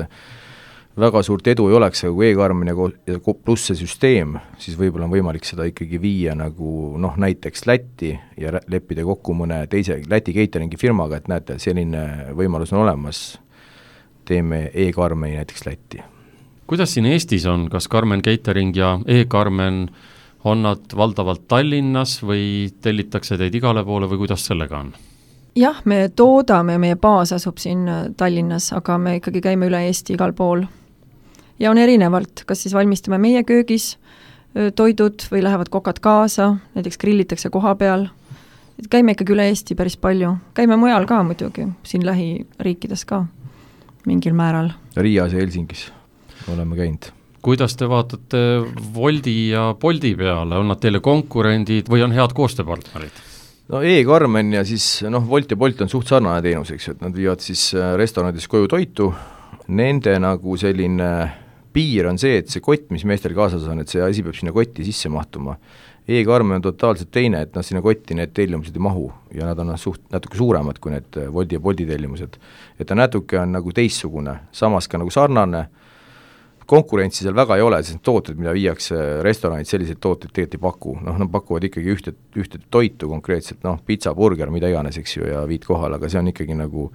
väga suurt edu ei oleks, aga kui e-Karmen ja pluss see süsteem, siis võib-olla on võimalik seda ikkagi viia nagu näiteks Lätti ja leppida kokku mõne teise Läti cateringi firmaga, et näete, selline võimalus on olemas, teeme e-Karmeni näiteks Lätti. Kuidas siin Eestis on, kas Karmen Catering ja e-Karmen on nad valdavalt Tallinnas või tellitakse teid igale poole või kuidas sellega on? Jah, me toodame, meie baas asub siin Tallinnas, aga me ikkagi käime üle Eesti igal pool. Ja on erinevalt, kas siis valmistame meie köögis toidud või lähevad kokad kaasa, näiteks grillitakse koha peal. Käime ikkagi üle Eesti päris palju. Käime mujal ka muidugi, siin lähiriikides ka mingil määral. Riias ja Helsingis oleme käinud. Kuidas te vaatate Woldi ja Bolti peale, on nad teile konkurendid või on head koostööpartnerid? No e-Karmen ja siis Wolt ja Bolt on suht sarnane teenus, eks ju, et nad viivad siis restoranidis koju toitu, nende nagu selline piir on see, et see kott, mis meestel kaasas on, et see asi peab sinna kotti sisse mahtuma. E-Karmen on totaalselt teine, et sinna kotti need tellimused ei mahu ja nad on natuke suuremad kui need Woldi ja Bolti tellimused. Et ta natuke on nagu teissugune, samas ka nagu sarnane, konkurentsi seal väga ei ole, sest tooted, mida viiakse restoranid, selliseid tooteid tegelikult ei paku. Nad pakuvad ikkagi ühte toitu konkreetselt, pizza, burger, mida iganes, eks ju, ja viid kohal, aga see on ikkagi nagu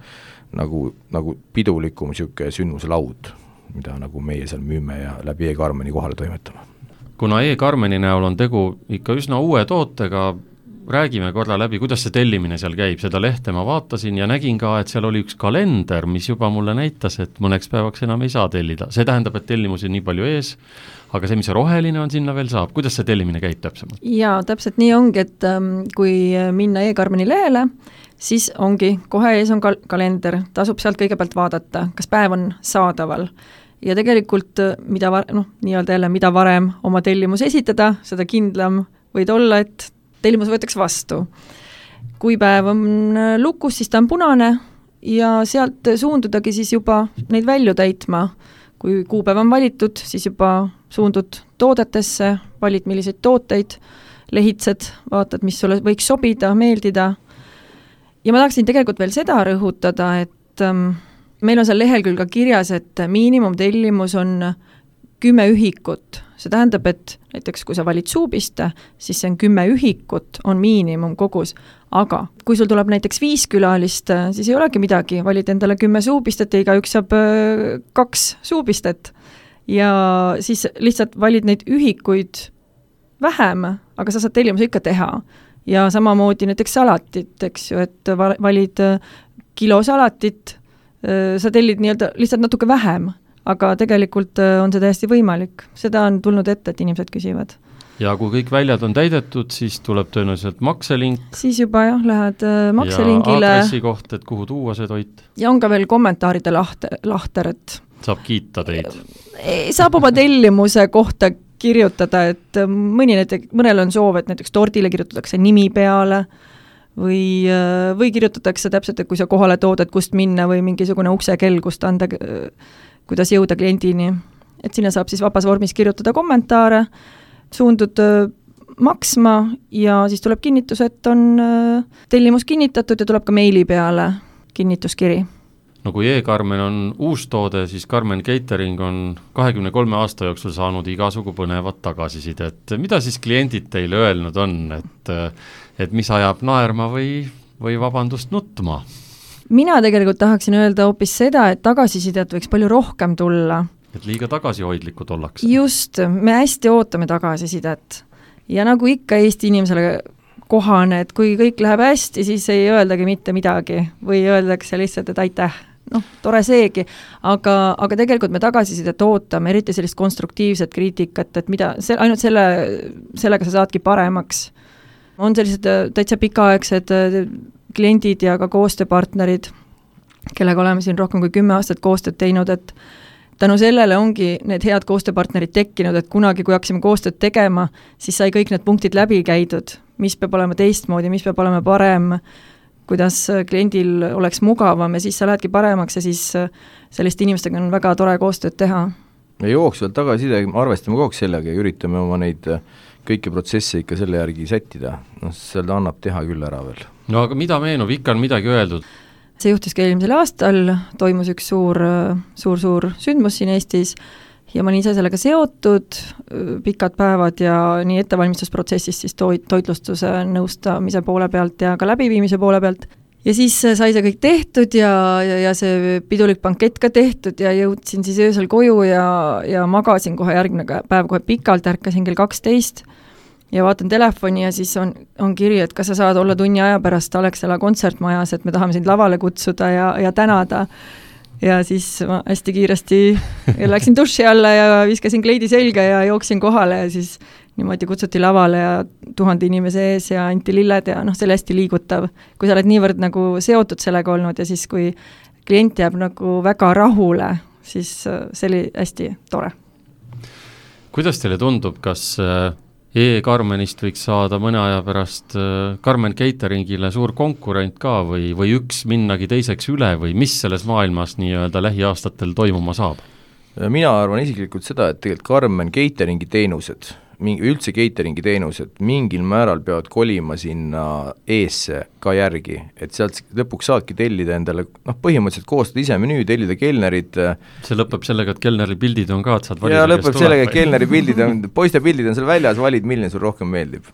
pidulikum siuke sündmuse laud, mida nagu meie seal müüme ja läbi e-Karmeni kohale toimetame. Kuna e-Karmeni näol on tegu ikka üsna uue tootega, räägime korra läbi, kuidas see tellimine seal käib, seda lehte ma vaatasin ja nägin ka, et seal oli üks kalender, mis juba mulle näitas, et mõneks päevaks enam ei saa tellida. See tähendab, et tellimusi nii palju ees, aga see, mis roheline on, sinna veel saab. Kuidas see tellimine käib täpsemalt? Jaa, täpselt nii ongi, et kui minna e-Karmeni lehele, siis ongi, kohe ees on kalender, tasub sealt kõigepealt vaadata, kas päev on saadaval. Ja tegelikult, mida varem oma tellimus esitada, seda kindlam võid olla, et tellimus võetakse vastu. Kui päev on lukus, siis ta on punane ja sealt suundudagi siis juba neid välju täitma. Kui kuupäev on valitud, siis juba suundud toodetesse, valid milliseid tooteid, lehitsed, vaatad, mis sulle võiks sobida, meeldida. Ja ma tahaksin tegelikult veel seda rõhutada, et meil on seal lehel küll ka kirjas, et miinimumtellimus on 10 ühikut. See tähendab, et näiteks kui sa valid suupiste, siis see on 10 ühikut, on miinimum kogus. Aga kui sul tuleb näiteks 5 külalist, siis ei olegi midagi, valid endale 10 suupistet ja igaüks saab 2 suupistet. Ja siis lihtsalt valid neid ühikuid vähem, aga sa saad tellimuse ikka teha. Ja samamoodi näiteks salatit, eks ju, et valid kilo salatit, sa tellid lihtsalt natuke vähem. Aga tegelikult on see täiesti võimalik. Seda on tulnud ette, et inimesed küsivad. Ja kui kõik väljad on täidetud, siis tuleb tõenäoliselt makselink. Siis juba lähed makselingile. Ja aadressi koht, et kuhu tuua see toit. Ja on ka veel kommentaaride lahter, et saab kiita teid. Saab oma tellimuse kohta kirjutada, et mõnel on soov, et näiteks tordile kirjutatakse nimi peale või kirjutatakse täpselt, et kui sa kohale tood, et kust minna või mingisugune uksekell, kust anda kuidas jõuda kliendini. Et sinna saab siis vabas vormis kirjutada kommentaare, suundud maksma ja siis tuleb kinnitus, et on tellimus kinnitatud ja tuleb ka meili peale kinnituskiri. No kui e-Karmen on uus toode, siis Karmen Catering on 23 aasta jooksul saanud igasugu põnevat tagasisidet. Mida siis kliendid teile öelnud on, et mis ajab naerma või vabandust nutma? Mina tegelikult tahaksin öelda hoopis seda, et tagasisidet võiks palju rohkem tulla. Et liiga tagasihoidlikud ollakse. Just, me hästi ootame tagasisidet. Ja nagu ikka Eesti inimesele kohane, et kui kõik läheb hästi, siis ei öeldagi mitte midagi või öeldakse lihtsalt, et aitäh. Tore seegi, aga tegelikult me tagasisidet ootame, eriti sellist konstruktiivset kriitikat, et ainult sellega sa saadki paremaks. On sellised täitsa pikaaegsed kliendid ja ka koostööpartnerid, kellega oleme siin rohkem kui 10 aastat koostööd teinud, et tänu sellele ongi need head koostööpartnerid tekkinud, et kunagi, kui hakkasime koostööd tegema, siis sai kõik need punktid läbi käidud, mis peab olema teistmoodi, mis peab olema parem, kuidas kliendil oleks mugavam ja siis sa lähedki paremaks ja siis selliste inimestega on väga tore koostööd teha. Me jooksvalt tagasiside, arvestame kogu sellega ja üritame oma neid kõiki protsesse ikka selle järgi sättida, seda annab teha küll ära veel. No aga mida meenub, ikka on midagi öeldud? See juhtus ka eelmisel aastal, toimus üks suur sündmus siin Eestis ja ma olin ise sellega seotud, pikad päevad ja nii ettevalmistusprotsessis siis toitlustuse nõustamise poole pealt ja ka läbiviimise poole pealt. Ja siis sai see kõik tehtud ja see pidulik bankett ka tehtud ja jõudsin siis öösel koju ja magasin kohe järgmine päev kohe pikalt, ärkasin kell 12 ja vaatan telefoni ja siis on kiri, et kas sa saad olla tunni aja pärast Alexela kontsertmajas, et me tahame sind lavale kutsuda ja tänada. Ja siis ma hästi kiiresti läksin duši alla ja viskasin kleidi selga ja jooksin kohale ja siis niimoodi kutsuti lavale ja 1000 inimese ees ja anti lilled ja see oli hästi liigutav. Kui sa oled niivõrd nagu seotud sellega olnud ja siis kui klient jääb nagu väga rahule, siis see oli hästi tore. Kuidas teile tundub, kas E-Karmenist võiks saada mõne aja pärast Karmen Cateringile suur konkurent ka või üks minnagi teiseks üle või mis selles maailmas nii-öelda lähiaastatel toimuma saab? Mina arvan isiklikult seda, et tegelikult Karmen Cateringi teenused, üldse cateringi teenused mingil määral peavad kolima sinna eesse ka järgi, et sealt lõpuks saadki tellida endale, põhimõtteliselt koostada ise menüü, tellida kelnerid. See lõpeb sellega, et kelneri pildid on ka, et saad valida. Ja lõpeb sellega, et kelneri pildid on, poiste pildid on seal väljas, valid, milline sul rohkem meeldib.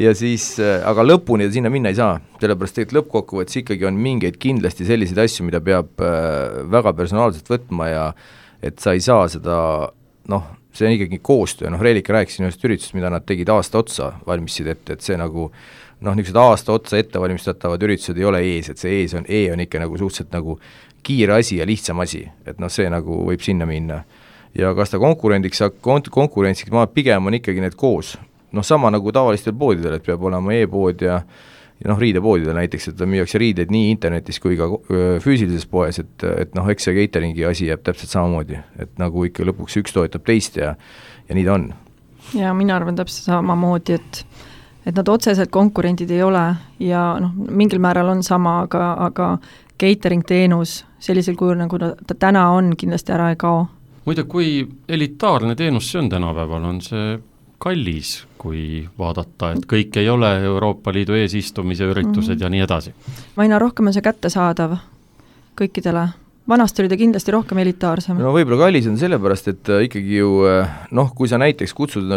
Ja siis, aga lõpuni sinna minna ei saa, sellepärast tegelikult lõppkokkuvõttes ikkagi on mingeid kindlasti selliseid asju, mida peab väga personaalselt võtma ja et sa ei saa seda, see on ikkagi koostöö, Reelika rääkisin ühest üritust, mida nad tegid aasta otsa, valmisid ette, et see nagu, niisugused aasta otsa ettevalmistatavad üritused ei ole ees, et see on ikka nagu suhteliselt nagu kiire asi ja lihtsam asi, et see nagu võib sinna minna. Ja kas ta konkurentsiks, ma pigem on ikkagi need koos, sama nagu tavalistel poodidel, et peab olema e-pood ja riidepoodidel näiteks, et müüakse riideid nii internetis kui ka füüsilises poes, et eks see cateringi asi jääb täpselt samamoodi, et nagu ikka lõpuks üks toetab teist ja nii ta on. Ja mina arvan täpselt samamoodi, et nad otseselt konkurendid ei ole ja mingil määral on sama, aga catering teenus sellisel kujul, nagu ta täna on, kindlasti ära ei kao. Muide, kui elitaarne teenus see on tänapäeval, on see kallis, kui vaadata, et kõik ei ole Euroopa Liidu eesistumise üritused ja nii edasi. Aina rohkem on see kättesaadav kõikidele. Vanasti oli ta kindlasti rohkem elitaarsem. Võib-olla kallis on sellepärast, et ikkagi ju, kui sa näiteks kutsud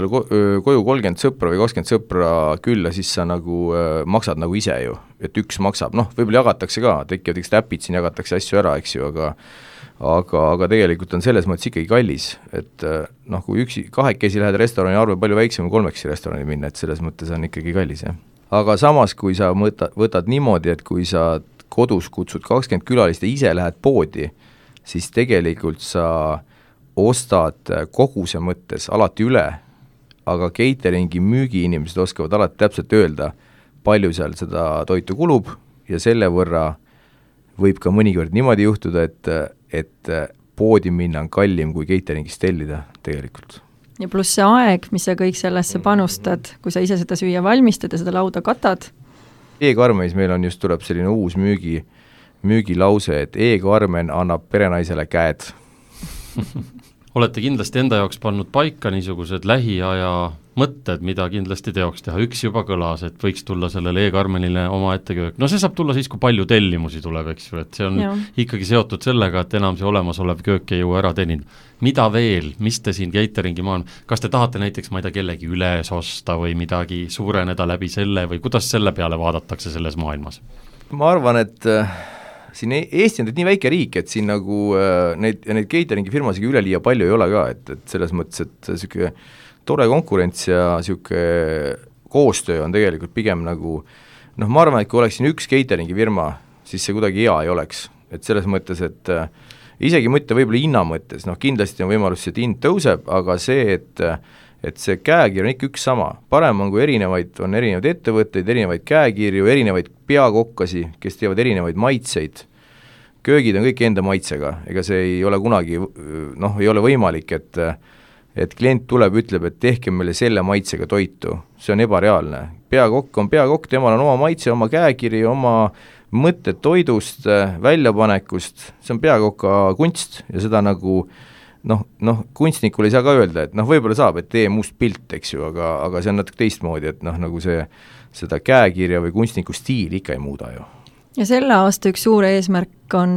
koju 30 sõpra või 20 sõpra külla, siis sa nagu maksad nagu ise ju, et üks maksab, võib-olla jagatakse ka, tekivad üks täpid, siin jagatakse asju ära, eks ju, aga tegelikult on selles mõttes ikkagi kallis, et kui kahekesi lähed restorani, arve palju väiksem kui 3 restorani minna, et selles mõttes on ikkagi kallis, jah. Aga samas, kui sa võtad niimoodi, et kui sa kodus kutsud 20 külalist ja ise lähed poodi, siis tegelikult sa ostad koguse mõttes alati üle, aga cateringi müügiinimesed oskavad alati täpselt öelda, palju seal seda toitu kulub ja selle võrra võib ka mõnikord niimoodi juhtuda, et poodi minna on kallim kui cateringist tellida tegelikult. Ja pluss see aeg, mis sa kõik sellesse panustad, kui sa ise seda süüa valmistad ja seda lauda katad. E-Karmenis meil on just tuleb selline uus müügilause, et E-Karmen annab perenaisele käed. Olete kindlasti enda jaoks pannud paika niisugused lähiaja mõtted, mida kindlasti teoks teha. Üks juba kõlas, et võiks tulla sellele E-Karmenile oma etteköök. See saab tulla siis, kui palju tellimusi tuleb, eks ju, et see on ikkagi seotud sellega, et enam see olemasolev köök ei jõua ära teenida. Mida veel, mis te siin cateringi kas te tahate näiteks, ma ei tea, kellegi üles osta või midagi suureneda läbi selle või kuidas selle peale vaadatakse selles maailmas? Ma arvan, et siin Eesti on nii väike riik, et siin nagu neid cateringi firmasega üleliia palju ei ole ka, et selles mõttes, et selline tore konkurents ja selline koostöö on tegelikult pigem nagu, ma arvan, et kui oleks siin üks cateringi firma, siis see kuidagi hea ei oleks, et selles mõttes, et isegi mõtte võib-olla hinna mõttes, kindlasti on võimalus, et hind tõuseb, aga see, et see käekiri on ikka üks sama, parem on, kui on erinevaid ettevõtteid, erinevaid käekirju, erinevaid peakokkasi, kes teevad erinevaid maitseid, köögid on kõik enda maitsega, ega see ei ole kunagi, ei ole võimalik, et klient tuleb, ütleb, et tehke meile selle maitsega toitu, see on ebareaalne. Peakokk on peakokk, temal on oma maitse, oma käekiri, oma mõtted toidust, väljapanekust, see on peakoka kunst ja seda nagu kunstnikul ei saa ka öelda, et võib-olla saab, et tee must pilt, eks ju, aga see on natuke teistmoodi, et nagu seda käekirja või kunstniku stiili ikka ei muuda ju. Ja selle aasta üks suur eesmärk on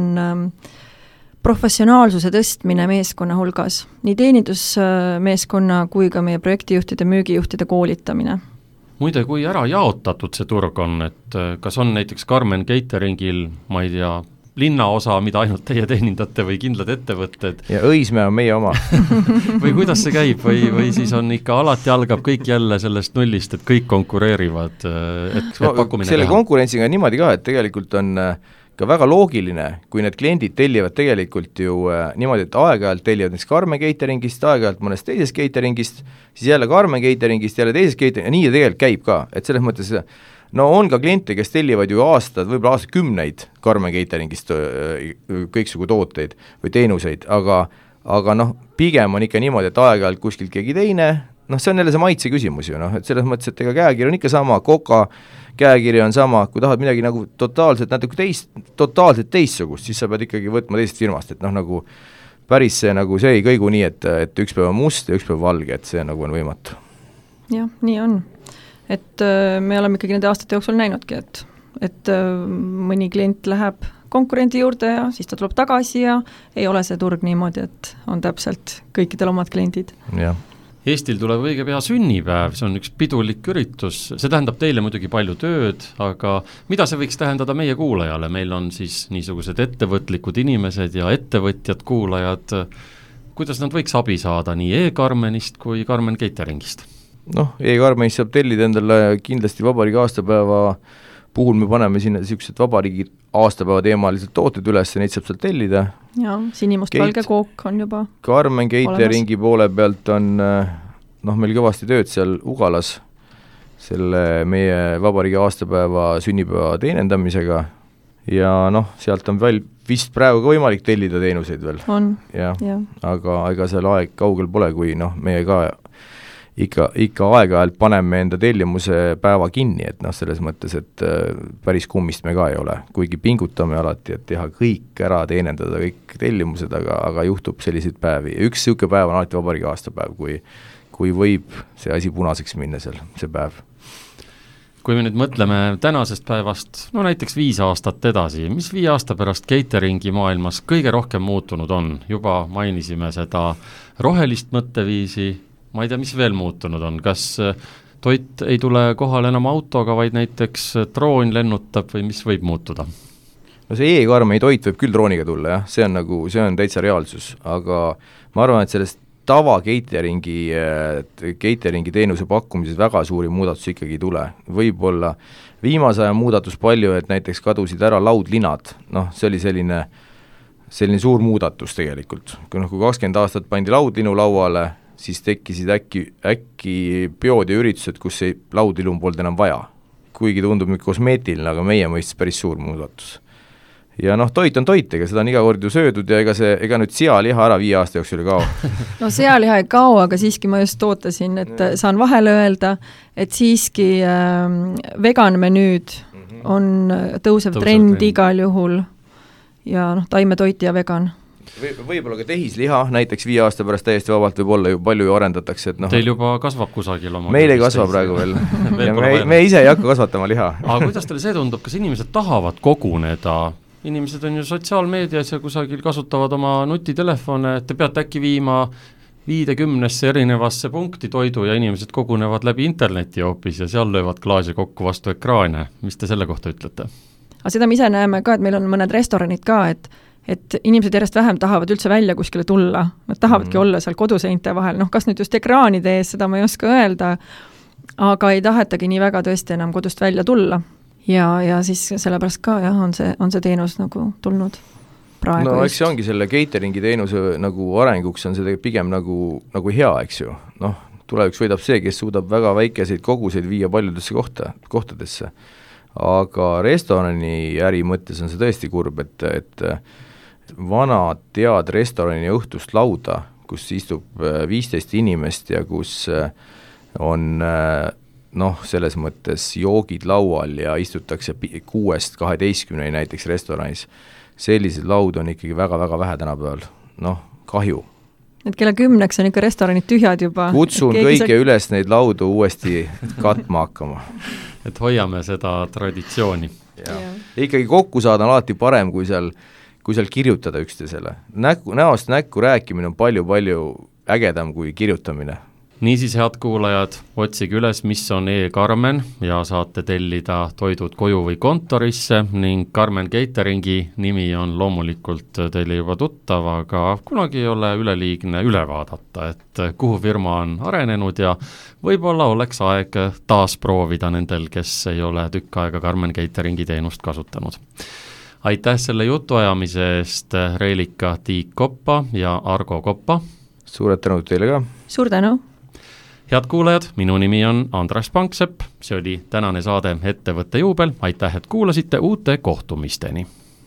professionaalsuse tõstmine meeskonna hulgas, nii teenindusmeeskonna kui ka meie projektijuhtide, müügijuhtide koolitamine. Muide, kui ära jaotatud see turg on, et kas on näiteks Karmen Cateringil, ma ei tea, linnaosa, mida ainult teie teenindate või kindlad ettevõtted? Ja Õismäe on meie oma. Või kuidas see käib või siis on ikka alati algab kõik jälle sellest nullist, et kõik konkureerivad, et pakkumine selle konkurentsiga on niimoodi ka, et tegelikult on ka väga loogiline, kui need kliendid tellivad tegelikult ju niimoodi, et aeg-ajalt tellivad näiteks Karmen Cateringist, aeg-ajalt mõnest teisest cateringist, siis jälle Karmen Cateringist, jälle teisest cateringist, ja nii ta tegelikult käib ka, et selles mõttes on ka kliente, kes tellivad ju võib-olla aastakümneid Karmen Cateringist kõiksugu tooteid või teenuseid, aga pigem on ikka niimoodi, et aeg-ajalt kuskilt keegi teine, see on jälle see maitse küsimus ju, et selles mõttes, et ega käekiri on ikka sama, Coca käekiri on sama, kui tahad midagi nagu totaalselt teistsugust, siis sa pead ikkagi võtma teisest firmast, et nagu päris see ei kõigu nii, et üks päev on must ja üks päev valge, et see nagu on võimatu. Jah, nii on. Et me oleme ikkagi nende aastate jooksul näinudki, et mõni klient läheb konkurendi juurde ja siis ta tuleb tagasi ja ei ole see turg niimoodi, et on täpselt kõikidel omad kliendid. Jah. Eestil tuleb õige pea sünnipäev, see on üks pidulik üritus, see tähendab teile muidugi palju tööd, aga mida see võiks tähendada meie kuulajale, meil on siis niisugused ettevõtlikud inimesed ja ettevõtjad kuulajad, kuidas nad võiks abi saada nii e-Karmenist kui Karmen Cateringist? E-Karmenist saab tellida endale kindlasti vabariigi aastapäeva puhul me paneme sinna niisugused vabariigi aastapäeva teemalised tooted üles ja neid saab sealt tellida. Jaa, sinimustvalge kook on juba Karmen Cateringi poole pealt on meil kõvasti tööd seal Ugalas selle meie vabariigi aastapäeva sünnipäeva teenendamisega ja sealt on veel vist praegu ka võimalik tellida teenuseid veel. On, ja. Aga ega seal aeg kaugel pole, kui meie ka ikka aeg-ajalt paneme enda tellimuse päeva kinni, et selles mõttes, et päris kummist me ka ei ole, kuigi pingutame alati, et teha kõik ära, teenendada kõik tellimused, aga juhtub selliseid päevi. Üks niisugune päev on alati vabariigi aastapäev, kui võib see asi punaseks minna seal, see päev. Kui me nüüd mõtleme tänasest päevast, näiteks 5 aastat edasi, mis 5 aasta pärast cateringi maailmas kõige rohkem muutunud on? Juba mainisime seda rohelist mõtteviisi, ma ei tea, mis veel muutunud on, kas toit ei tule kohale enam autoga, vaid näiteks droon lennutab või mis võib muutuda? See e-Karmeni toit võib küll drooniga tulla, jah, see on täitsa reaalsus, aga ma arvan, et sellest tava cateringi teenuse pakkumises väga suuri muudatusi ikkagi ei tule. Võib-olla viimase aja muudatus palju, et näiteks kadusid ära laudlinad, see oli selline suur muudatus tegelikult. Kui 20 aastat pandi laudlinu lauale, siis tekkisid äkki peod ja üritused, kus laudilum polnud enam vaja. Kuigi tundub nüüd kosmeetiline, aga meie mõistes päris suur muudatus. Ja toit on toit, ega seda on iga kord ju söödud ja ega nüüd sealiha ära 5 aasta jooksul ei kao. Sealiha ei kao, aga siiski ma just ootasin, et saan vahele öelda, et siiski veganmenüüd on tõusev trend igal juhul ja taimetoit ja vegan. Võib-olla ka tehisliha, näiteks 5 aasta pärast täiesti vabalt võib olla ju palju ju arendatakse. Et Teil juba kasvab kusagil oma? Meil ei kasva praegu veel. ja me ise ei hakka kasvatama liha. Aga kuidas teile see tundub, kas inimesed tahavad koguneda? Inimesed on ju sotsiaalmeedias ja kusagil kasutavad oma nutitelefone, et te peate äkki viima 50 erinevasse punkti toidu ja inimesed kogunevad läbi interneti hoopis ja seal löövad klaasi kokku vastu ekraane. Mis te selle kohta ütlete? Aga seda me ise näeme ka, et meil on mõned restoranid ka, et inimesed järjest vähem tahavad üldse välja kuskile tulla, nad tahavadki olla seal koduseinte vahel, kas nüüd just ekraanide ees, seda ma ei oska öelda, aga ei tahetagi nii väga tõesti enam kodust välja tulla ja siis sellepärast ka jah, on see teenus nagu tulnud praegu eks see ongi selle cateringi teenuse nagu arenguks on see pigem nagu hea, eks ju, tuleviks võidab see, kes suudab väga väikeseid koguseid viia paljudesse kohtadesse. aga restorani äri mõttes on see tõesti kurb, et vanad tead restorani õhtust lauda, kus istub 15 inimest ja kus on selles mõttes joogid laual ja istutakse 6-12 näiteks restoranis, sellised laud on ikkagi väga-väga vähe tänapäeval, kahju. Et kella 10 on ikka restoranid tühjad juba. Kutsun kõige üles neid laudu uuesti katma hakkama. Et hoiame seda traditsiooni. Ikkagi kokku saada on alati parem, kui seal kirjutada üksteisele. Näost näkku rääkimine on palju-palju ägedam kui kirjutamine. Niisiis, head kuulajad, otsige üles, mis on e-Karmen ja saate tellida toidud koju või kontorisse ning Karmen Cateringi nimi on loomulikult teile juba tuttav, aga kunagi ei ole üleliigne üle vaadata, et kuhu firma on arenenud ja võib-olla oleks aeg taas proovida nendel, kes ei ole tükk aega Karmen Cateringi teenust kasutanud. Aitäh selle jutuajamise eest, Reelika Tiik Koppa ja Argo Koppa. Suured tänud teile ka. Suur tänu. Head kuulajad, minu nimi on Andres Panksepp, see oli tänane saade Ettevõtte juubel, aitäh, et kuulasite, uute kohtumisteni!